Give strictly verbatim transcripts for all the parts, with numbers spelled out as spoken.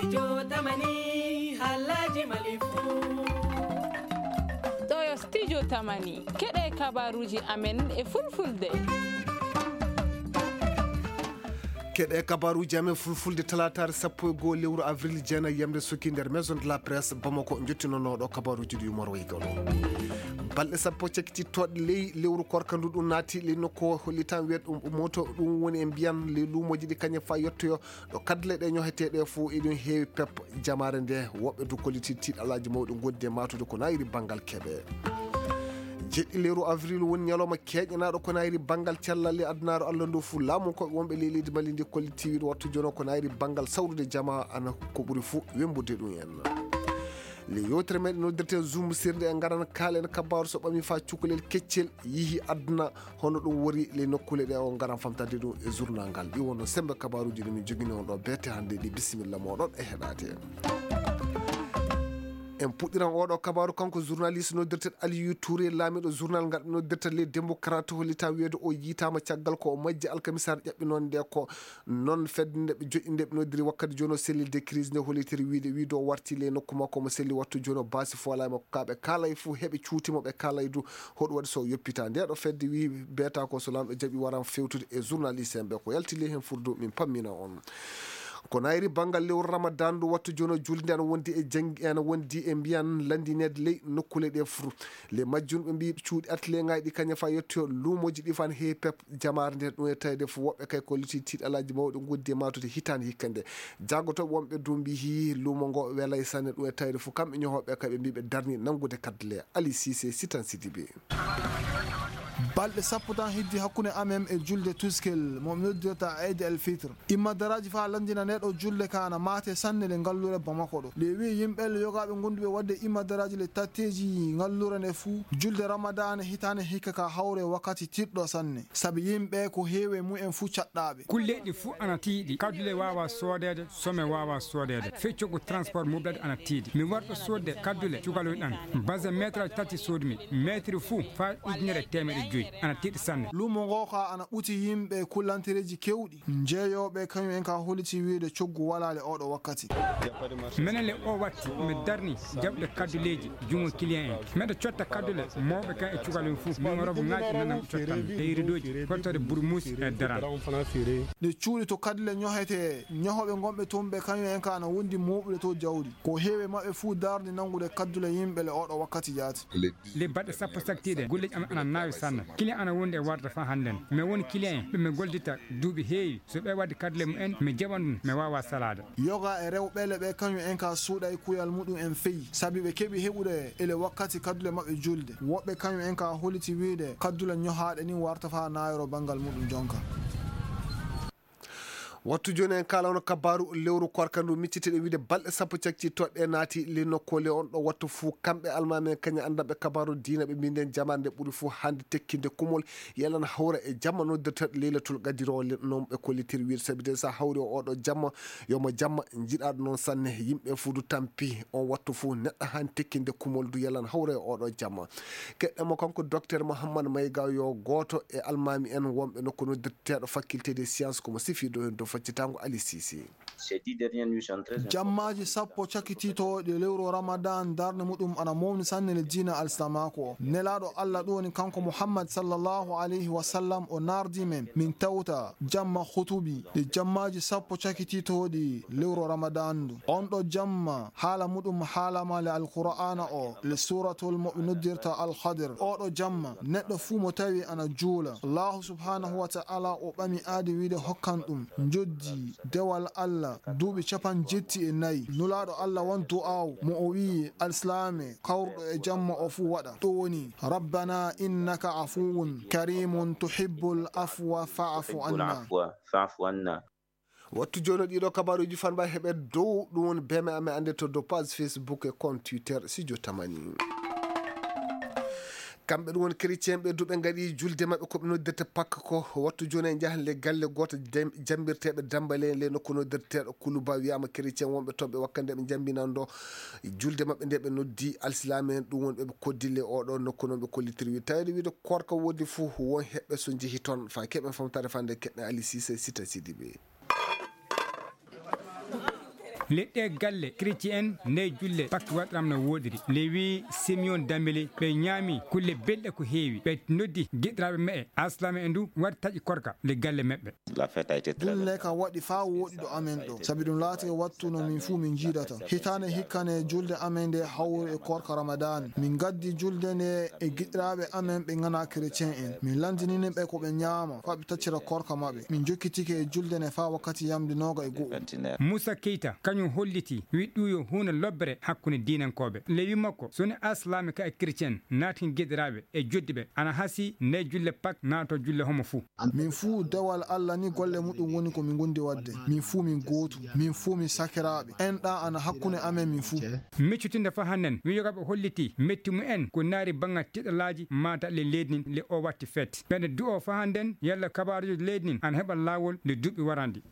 Studio Tamani, halaji Mali fu. Ɗo yo Studio Tamani, keɗe kabaruji amen e fulfulde. Keɗe kabaruji amen fulfulde, talataare sappo e goo lewru avril, jeenayi yamde sokki nder Maison de la Presse Bamako, jottinonooɗo kabaruji ɗi Umar Wayga ɗo. Balɗe sappo cakkitittooɗe ley lewru korka ndu, ɗum naati ley nokku hollitan wiyat ɗum moto, ɗum woni e mbiyan ley luumooji ɗi kañe fa yettoyo ɗo kaddule ɗe ñoheteeɗe fof eɗum heewi pep jamaare nde, woɓɓe du kolliti tiiɗalaaji mawɗi ngonndi e maatude ko naayiri banngal keɓe. Jeɗɗi lewru avril woni ñalawma keeñanaaɗo ko naayiri banngal cellal e adunaaru Allah ndu fof. Laamu ko wonɓe ley leydi Mali ndi kolliti wiide wattu jono ko naayiri banngal sawrude jama ana ko ɓuri fof wembude ɗum en. Le yewtere meɗen noddirten Zoom sirde e ngaran kaalen kabaaru so ɓami fa cukalel keccel yihi aduna. Hono ɗum wori ley nokkuule ɗe o ngaran famtande ɗum e journal ngal. Ɗi wonno sembe kabaaruuji ɗi min jogini on ɗo beete hannde ɗi. Bisimilla moɗon e heɗaade. En puɗɗiran oɗo kabaaru kanko journaliste noddirteɗo Aliou Touré, laamiɗo journal ngal noddirta Les Démocrates, hollita wiyeede o yiitaama caggal ko o majji alkamisaare ƴaɓɓinoon nde ko noon fedde nde ɓe joƴƴi nde ɓe noddiri wakkati jooni o cellule de crise nde hollitiri wiide wiide o warti ley nokku makko mo selli wattu jooni o baasi foolaa e makko ka ɓe kaalay fof heɓe cuuti mo ɓe kaalay du. Hoɗum waɗi so yoppita nde ɗo fedde wi beeta ko so laamɗo jaɓi waran fewtude e journaliste en ɓe ko yalti ley heen furdu min pammina on. Ko nayri banngal lewru Ramadan ndu wattu jono julde ana wondi e janngi ana wondi e mbiyan lanndineede ley nokkuule ɗe fur. Ley majjum ɓe mbi cuuɗi atelier ŋaaji ɗi kañum fa yettoyo luumooji ɗi fan heewi pep jamaare nde ɗum e tawde fof woɓɓe kay ko liti tiiɗalaaji mawɗi ngoddi e maatude hitaande hikka nde. Jaagotooɓe wonɓe du mbi hii luumo ngo welay sanne ɗum e tawde fof kamɓe ñohooɓe kay ɓe mbi ɓe darni nanngude kaddule. Ali Cissé, Sitan Sidibé. Balɗe sappo tan heddi hakkunde amen e julde Tuskel mo mi noddirta Eid el Fitr. Immadaraaji faa lanndina nde ɗo julde ka ana maate sanne le ngalluure Bamako ɗo. Le wi yimɓe le yogaaɓe gonduɓe waɗde immadaraaji le tatteeji ngalluure nde fuu julde Ramadaana hitaande hikka ka hawre wakkati tiiɗɗo sanne. Sabi yimɓe ko heewi e mumen fuu caɗɗaaɓe. Kulle ɗi fuu ana tiiɗi. Kaddule waawa soodeede, some waawa soodeede. Feccogu transport muɓɓe ana tiiɗi. Mi warɗo soodde kaddule cukalon ɗan. Base meetre tati soodmi. Meetre fuu faa ujunere e teemeɗe joy. Ana tiiɗi sanne. Luumo ngo ka ana ɓuti yimɓe kullantereeji kewɗi. Jeeyooɓe kañum en ka holliti wiide coggu walaali oɗo wakkati. Menen le o watti mi darni jaɓde kadduleeji jungo client en. Meɗa cotta kaddule mawɓe kan e cukalon fof. Min o robo ŋaaji nanam cottan e iridoji hottode burmusi e daran. Nde cuuɗi to kaddule ñohete, ñohoɓe gonɓe toon ɓe kañum en ka ana wondi mooɓude to jawdi. Ko heewi maɓɓe fuu darde nanngude kaddule yimɓe le oɗo wakkati jaati. Le baɗɗe sappo saktiiɗe golleji am ana naawi sanne. Client ana wondi e warde fa hannden. Mi woni client en ɓe mi goldita duuɓi heewi. So ɓe waɗi kaddule mumen, mi jaɓan ɗum, mi waawa salaade. Yoga e rewɓe le ɓe kañum en ka suuɗay kuyal muɗum en feyi. Sabi ɓe keɓi heɓude ele wakkati kaddule maɓɓe julde. Woɓɓe kañum en ka holliti wiide kaddule ñohaaɗe ni warta fa naayro banngal muɗum jonka. Wattu jooni en kaalano kabaaru lewru korka ndu miccitiɗe wiide balɗe sappo cakci toɗɗe naati le nokkoole on ɗo wattu fuu kamɓe almaami en kañum anndanɓe kabaaru diina ɓe mbinden jamaare nde ɓuri fuu hannde tekkinde kumol. Yalan hawra e jamma noddirteeɗo Leylatul Qadiri o le-, non ɓe kollitiri wiide sabi de so hawri o oɗo jamma, yo mo jamma njiɗaaɗo noon sanne. Yimɓe fuu du tampi on wattu fuu neɗɗo haani tekkinde kumol du yalan hawra e oɗo jamma. Keɗɗen mo kanko Docteur Mouhammad Mayga yo gooto e almaami en wonɓe nokku noddirteeɗo faculté des sciences ko mo sifiiɗo heen dow faccitaango Ali Sisi. Ces dix dernières nuits sont très importantes. Jammaaji sappo cakititooɗi lewru Ramadan darnde muɗum ana mawni sanne le diina alsilaamaaku o. Nelaaɗo Allah ɗum woni kanko Muhammad sallallahu alayhi wa sallam o naardi men min tawta jamma hutubi ɗi jammaaji sappo cakititooɗi lewru Ramadan ndu. On ɗo jamma haala muɗum haalama le Alqur'aana o le suuratul mo ɓe noddirta Al-Khadir. Oɗo jamma neɗɗo fuu mo tawi ana juula. Allahu subhanahu wa ta'ala o ɓami aadi wiide hokkan ɗum njoddi dewal Allah duuɓi capan jetti e nayi. Nulaaɗo Allah won du'aaw mo o wi'i alsilaame kawruɗo e jamma o fuu waɗa. Ɗum woni, "Rabbana innaka afuwun karimun tuhibbul afwa fa'fu anna." Fa'fu anna. Wattu jooni ɗiɗo kabaruuji fanba heɓe dow ɗum woni B M A amen annde to dow page Facebook e compte Twitter Studio Tamani. Kamɓe ɗum woni chrétien ɓe duɓe ngaɗi julde maɓɓe ko ɓe noddirta Pâques ko wattu jooni en njahan le galle gooto dem-, jambirteeɓe Dambale le nokku noddirteeɗo Kuluba wiyama chrétien wonɓe toon ɓe wakkande ɓe jambinando julde maɓɓe nde ɓe noddi alsilaame en ɗum woni ɓe ɓe koddi le oɗo nokku noon ɓe kollitiri wi tawde wiide korka woodi fof won heɓɓe so njehi toon fa keɓen famtare fande keɓɓe Ali Sise Sita Sidiɓe. Leɗɗe galle chrétien en nde julle Pâques waɗiram no woɗiri. Lewi Simeon Dambele ɓe ñaami kulle belɗe ko heewi. Ɓe noddi giɗiraaɓe me'e Aslama e ndu waɗi taƴi korka le galle meɓɓe. Julle ka waɗi faa woɗi ɗo amen ɗo, sabi ɗum laati e wattu no min fuu min njiidata. Hitaande hikkane julde amen nde hawri e korka Ramadan. Min ngaddi julde nde e giɗiraaɓe amen ɓe ŋanaa chrétien en. Min landinini ɓe ko ɓe ñaama, faa ɓe taccira korka maɓɓe. Min jokkitike e julde nde faa wakkati yamde nooga e go'o. Moussa Keita, kañum holliti, wi ɗum yo huunde lobbere hakkunde diinankooɓe. Lewi makko, so ne Aslama ka e chrétien, naatin giɗiraaɓe e joddi ɓe, ana hasi nde julle Pâques naato julle homo fuu. Min fuu dewal Allah ni golle muɗum woni ko min gondi wadde. Min fuu min gootu. Min fuu min sakiraaɓe. Enɗa ana hakkunde amen min fuu. Miccitinde fa hannden, wi yoga ɓe holliti metti mu en ko naari banngal tiɗalaaji maata le leydi nin le o watti feet. Ɓe nde du'o fa hannden, yalla kabaaruuji leydi nin ana heɓa laawol nde duuɓi warandi.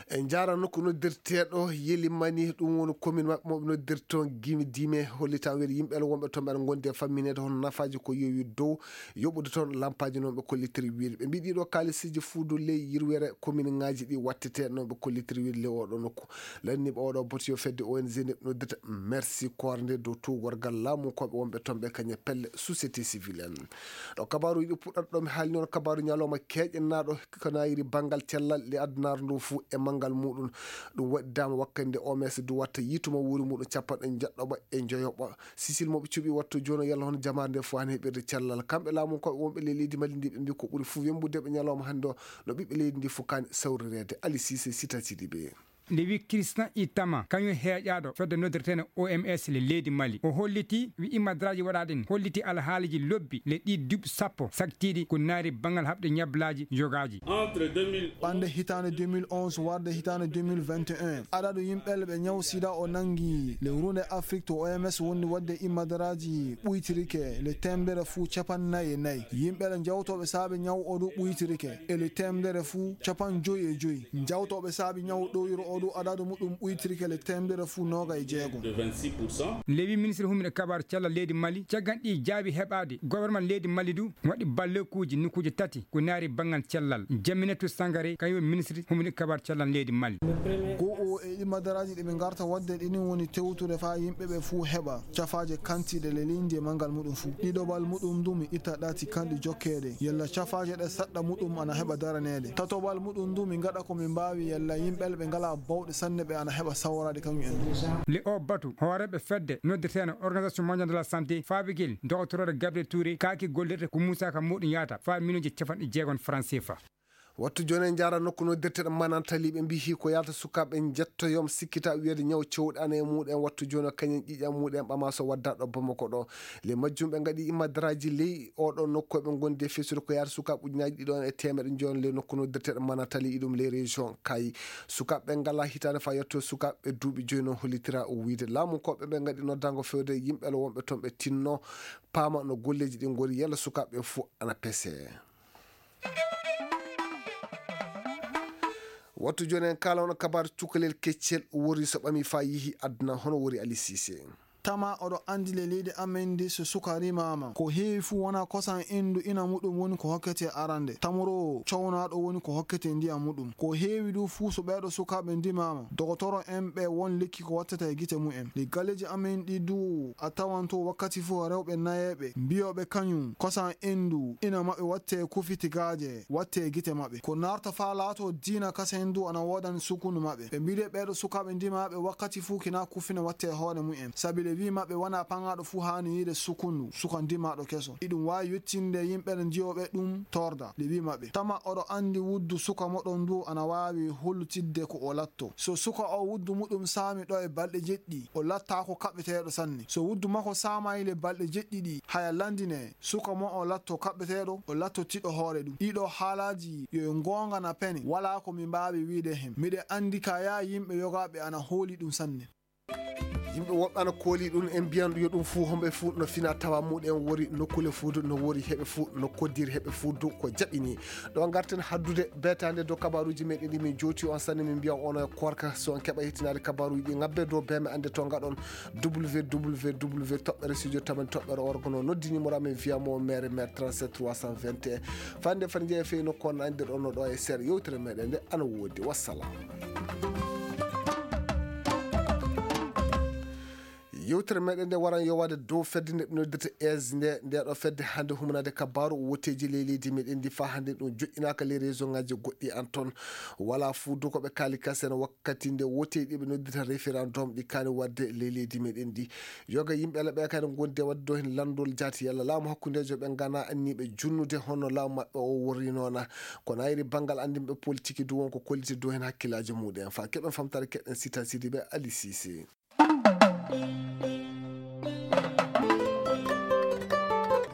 En njaara nokku noddirteeɗo Yelimani, ɗum woni commune maɓɓe mo ɓe noddirta toon Gimi Dime, hollitaa wiyde yimɓe wonɓe toon ɓe ngondi e fammineede hono nafaaji ko yowi dow yoɓude toon lampaaji noon ɓe kollitiri wiyde. Ɓe mbiyi ɗiɗo kaalisiiji fuudu ley yirwere commune ŋaaji ɗi wattete noon ɓe kollitiri wiyde ley oɗo nokku. Lanniiɓe oɗo boti yo fedde O N G nde ɓe noddirta Merci Corps nde dow tuugorgal laamu koɓe wonɓe toon ɓe kañe pelle société civile en. Ɗo kabaaruuji ɗi puɗɗata ɗo mi haalni on kabaaru ñalawma keeƴenaaɗo ko naayiri banngal cellal le addunaare ndu fuu e manngal muɗum. Ɗum waɗidaama wakkati nde O M S duwatta yiitu ma wuuri muɗum capanɗe njeɗɗoɓa e njoyoɓa. Sisil mo ɓe cuɓi wattu jooni yalla hono jamaare nde fuu haani heɓirde cellal. Kamɓe laamu koɓe wonɓe ley leydi Mali ndi ɓe mbi ko ɓuri fuu wembude ɓe ñalawma hannde o no ɓiɓɓe leydi ndi fuu kaani sawrireede. Ali Sise sitatiɗi ɓe. Nde wi Christian Itama, kañum heeƴaaɗo fedde noddirteene O M S le leydi Mali. O holliti, wi immadraaji waɗaaɗi ɗin, holliti alhaaliiji lobbi le ɗi duuɓi sappo saktiiɗi ko naari banngal haɓde ñablaaji yogaaji. Ɓande hitaande deux mille onze warde hitaande deux mille vingt et un, adadu yimɓe ɓe ñaw sida o nanngi le runde Afrik to O M S wondi waɗde immadraaji ɓuytirike le teemedere fuu capanɗe nayi e nayi. Yimɓe le jawtooɓe saabe ñaw o du ɓuytirike e le teemedere fuu capanɗe joyi e joyi. Jawtooɓe saabi ñaw ɗowiro o ɗo adadu muɗum ɓuytirike le teemedere fuu nooga e jeego. Lewi ministre humiɗo kabar cellal leydi Mali, caggal ɗi jaabi heɓaade, gouvernement leydi Mali du waɗi ballekuuji nokkuuji tati ko naari banngal cellal. Jaminatu Sangare, kañum ministre humiɗo kabar cellal leydi Mali. Go'o e ɗi madaraaji ɗi ɓe ngarta waɗde ɗi ni woni tewtude faa yimɓe ɓe fuu heɓa cafaaje kantiiɗe le leydi e manngal muɗum fuu. Ɗiɗoɓal muɗum du mi itta ɗaati kanɗi jokkeede. Yalla cafaaje ɗe saɗɗa muɗum ana heɓa daraneede. Tatoɓal muɗum du mi ngaɗa ko mi mbaawi yalla yimɓe ɓe ngalaa bawɗe sanne ɓe ana heɓa sawraade kañum en. Le o batu, hooreeɓe fedde noddirteene Organisation Mondiale de la Santé, faabigel doktoroore Gabriel Touré, kaaki gollirde ko Moussa Ka muɗum yaata faa miliyoŋji capanɗe jeegom franc C F A. Wattu jooni en njaara nokku noddirteeɗo Manantali, ɓe mbiyi ko yalta sukaaɓe njettoyoom sikkita wiyeede ñaw cewɗi ana e muɗum en wattu jooni o kañum ƴiiƴam muɗum en ɓama so wadda ɗo Bamako ɗo. Le majjum ɓe ngaɗi immadraaji ley oɗo nokku ɓe ngondi e fesude ko yaata sukaaɓe ujunaaji ɗiɗo en e teemeɗe njoyon le nokku noddirteeɗo Manantali iɗum ley région Kay. Sukaaɓe ɓe ngala hitaande faa yetto sukaaɓe duuɓi joyi noon hollitira o wiyde laamu koɓe ɓe ngaɗi noddango fewde yimɓe le wonɓe toon ɓe tinno paama no golleeji ɗi ngori yalla sukaaɓe fof ana pese. Wattu jooni en kaala on kabaar cukalel keccel wori so ɓami faa yihi aduna hono wori Ali Sise. Tama oɗo anndi le leydi amen ndi so suka rimaama, ko heewi fuu wonaa kosam enndu ina muɗum woni ko hokkete arande. Tamoroowo cownaaɗo woni ko hokkete ndiyam muɗum. Ko heewi du fuu so ɓeeɗo sukaaɓe ndimaama, dogotoro en ɓe won lekki ko wattata e gite mumen. Ɗi galleeji amen ɗi du a tawan to wakkati fuu rewɓe nayeeɓe mbiyooɓe kañum kosam enndu ina maɓɓe watte kufi tigaaje watte e gite maɓɓe. Ko naarta faa laato diina kasen du ana woodani sukundu maɓɓe. Ɓe mbiɗe ɓeeɗo sukaaɓe ndimaaɓe wakkati fuu kina kufina watte e hoore mumen. Sabi le wii maɓɓe wanaa paŋaaɗo fuu haani yiide sukundu, suka ndimaaɗo keso. Iɗum waawi yettinde yimɓe ɗe njiyooɓe ɗum torda. Le wii maɓɓe, tama oɗo anndi wuddu suka moɗon du ana waawi hollitidde ko o latto. So suka o wuddu muɗum saami ɗo e balɗe jeɗɗi, o lattaako kaɓɓeteeɗo sanne. So wuddu makko saamayi le balɗe jeɗɗi ɗi, haya landine, suka mo o latto kaɓɓeteeɗo, o latto tiɗo hoore ɗum. Ɗiɗo haalaaji yo e ngoonga na pene, walaa ko mi mbaawi wiide hen. Miɗe anndi ka yaa yimɓe yogaaɓe ana hooli ɗum sanne. Yimɓe woɓɓe ana kooli ɗum en mbiyan yo ɗum fuu homɓe fuu no fina tawa muɗen wori nokkule fuu du no wori heɓe fuu no koddiri heɓe fuu du ko jaɓini. Ɗo ngarten haddude beetaande dow kabaruuji meɗen ɗi min jooti on sanne min mbiya on e korka so on keɓa hettinaade kabaruuji ɗi ngabbe dow beme annde to ngaɗon W W W toɓɓere studio tamani toɓɓere orgo no noddi numéro amen fiya mo mere mere trente-sept trois cent vingt et un. Fande fande jeeya fey nokku on anndirɗon no ɗo e seeɗa yewtere meɗen nde ana woodi. Wassalam. Yewtere meɗen nde waran yowaade dow fedde nde ɓe noddirta es nde. Nde ɗo fedde hannde humanaade kabaaru woteeji ley leydi meɗen ndi, faa hannde ɗum joƴƴinaaka ley région ŋaaji goɗɗi an toon. Wala fuu dow ko ɓe kaali kasen wakkati nde woteeji ɗi ɓe noddirta référendum ɗi kaani waɗde ley leydi meɗen ndi. Yoga yimɓe Allah ɓe kadi ngondi e waɗde dow heen lanndol jaati yalla laamu hakkundeejo ɓe ngana anniiɓe junnude hono laamu maɓɓe o worrinoona. Ko nayri banngal anndinɓe politiki du won ko kolliti dow heen hakkillaaji muɗen. Faa keɓen famtaare keɗen Sita Sidibe Ali Sise.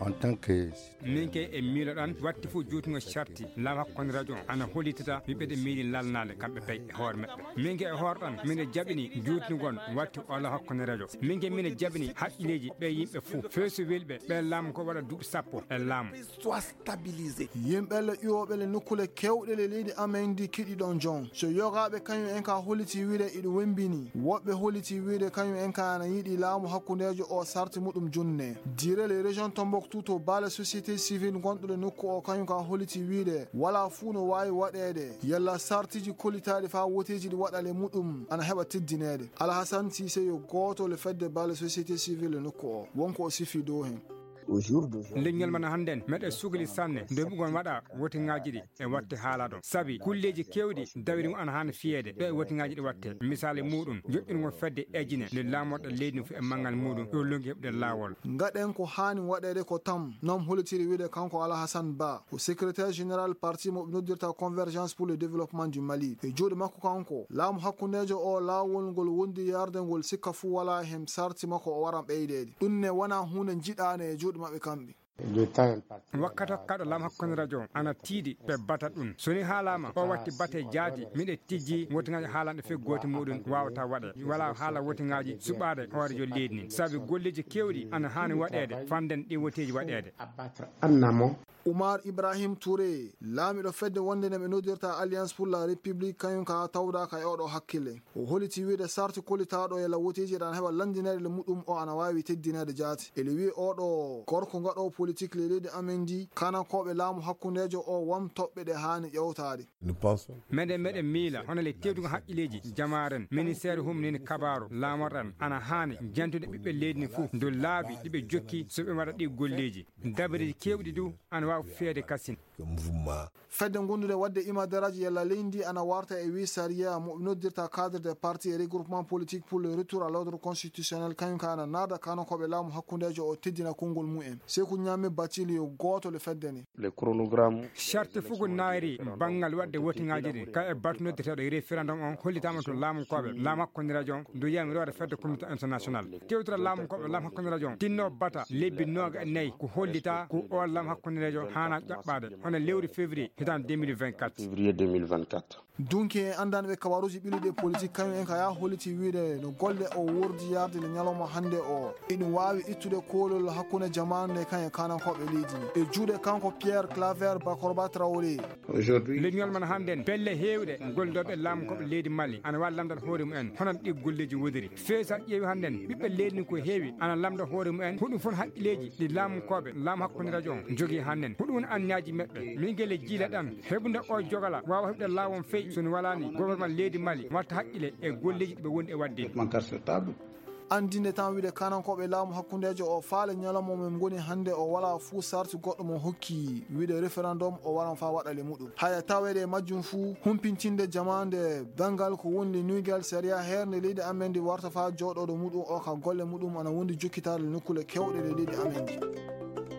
En tant que Min ke e miiloɗan watti fof juutungo sarti laamu hakkunde radio ana hollitata ɓiɓɓe ɗe miili lalnaade kamɓe pay e hoore maɓɓe. Min ke e hoorɗan mine jaɓini juutungon watti o laamu hakkunde radio. Min ke mine jaɓini haqqilleeji ɓe yimɓe fof feesu welɓe ɓe laamu ko waɗa duuɓi sappo e laamu. Soit stabilisé. Yimɓe le iwoɓe le nokkule kewɗe le leydi amen ndi kiɗi ɗon jon. So yogaaɓe kañum en ka holliti wiide iɗo wembini. Woɓɓe holliti wiide kañum en ka ana yiɗi laamu hakkundeejo o sarti muɗum junne. Dire le région Tombouctou to baale société civile gonɗo le nokku o kañum ka holliti wiide wala fuu no waawi waɗeede. Yalla sartiji kollitaaɗi faa woteeji ɗi waɗa le muɗum ana heɓa teddineede. Alhasan Sise yo gooto le fedde baale société civile le nokku o. Wonko o sifi dow hen. Leñol man hannden meɗe sugli sanne nde bugon waɗa wotiŋaaji ɗi e watte haala ɗon. Sabi kulleeji keewɗi dawri mo ana haani fiyeede ɗo e wotiŋaaji ɗi watte. Misaali muuɗum, joƴƴingol fedde ejine nde laamorɗe leydi fof e manngal muuɗum ɗo longi heɓde laawol. Ngaɗen ko haani waɗeede ko tam, non hollitiri wiide kanko Alhasan Ba, ko secrétaire général parti mo ɓe noddirta Convergence pour le développement du Mali. E juuɗe makko kanko, laamu hakkundeejo o laawol ngol wondi yarde ngol sikka fuu walaa heen sarti makko o waran ɓeydeede. Ɗum ne wonaa huunde njiɗaande e juuɗe maɓɓe kamɓe. Wakkati hokkaaɗo laamu hakkunde radio ana tiiɗi ɓe bata ɗum. So ni haalaama o watti bate jaati miɗe tijji wotiŋaaji haalanɗe fii gooto muuɗum waawata waɗe. Walaa haala wotiŋaaji suɓaade hoorejo leydi ndin. Sabi golleeji keewɗi ana haani waɗeede fannden ɗi woteeji waɗeede. Umar Ibrahim Touré, laamiiɗo fedde wonde nde ɓe noddirta Alliance pour la République, kañum ka tawdaaka e oɗo hakkille. O holliti wiide sarti kollitaaɗo e lawoteeji ɗan heɓa lanndineede le muɗum o ana waawi teddineede jaati. Ele wi'i oɗo gorko ngaɗoowo politik le leydi amen ndi, kanankooɓe laamu hakkundeejo o won toɓɓe ɗe haani ƴewtaade. Meɗen meɗen miila hono le tewtugo haqqilleeji jamaaren, ministeer humnini kabaaru laamorɗan ana haani jantude ɓiɓɓe leydi ndi fof dow laabi ɗi ɓe jokki so ɓe waɗa ɗi golleeji. Dabareeji keewɗi du ana waawi feede kasin. Fedde gondude waɗde imadaraaji yalla leydi ndi ana warta e wi sariya mo ɓe noddirta cadre des partis et regroupements politiques pour le retour à l'ordre constitutionnel, kañum ka ana naada kanankooɓe laamu hakkundeejo o teddina konngol mumen. Seku Ñaame Batili yo gooto le fedde ni. Le chronogramme. Charte fugo naayri banngal waɗde wotiŋaaji ɗin ka e batu noddirteeɗo e référendum on hollitaama to laamu kooɓe laamu hakkundeejo on dow yamiroore fedde communauté international. Tewtira laamu ko laamu hakkundeejo on tinno bata lebbi nooga e nayi ko hollita ko o laamu hakkundeejo haana ƴaɓɓaade hono lewru février hitaande deux mille vingt-quatre. Février deux mille vingt-quatre. Dunki e anndanɓe kabaruuji ɓiluɗi e politik kañum en ka yaa holliti wiide no golle o wordi yarde le ñalawma hannde o iɗum waawi ittude koolol hakkunde jamaanu nde kañum e kanankooɓe leydi ndi e juuɗe kanko Pierre Claver Bakorba Traoré. Leñol man hannden pelle heewɗe gollidooɓe laamu koɓe leydi Mali ana waawi lamndal hoore mumen hono ɗi golleeji wodiri. Feesa ƴeewi hannden ɓiɓɓe leydi ndi ko heewi ana lamnda hoore mumen huɗum fof haqqilleeji ɗi laamu koɓe laamu hakkunde radio on jogii hannden huɗum woni anniyaaji maɓɓe. Min gele jiila ɗan heɓude o jogala waawa heɓude laawon fey so no walaani gouvernement leydi Mali watta haqqile e golleeji ɗi ɓe wondi e waɗde. Anndinde tan wiide kanankooɓe laamu hakkundeejo o faale ñalawma men ngoni hannde o walaa fuu sarti goɗɗo mo hokki wiide référendum o waran faa waɗa le muɗum haya taweede e majjum fuu humpintinde jamaande banngal ko woni le nuygal sariya heernde leydi amen ndi warta faa jooɗooɗo muɗum o ka golle muɗum ana wondi jokkitaade le nokkule kewɗe le leydi amen ndi.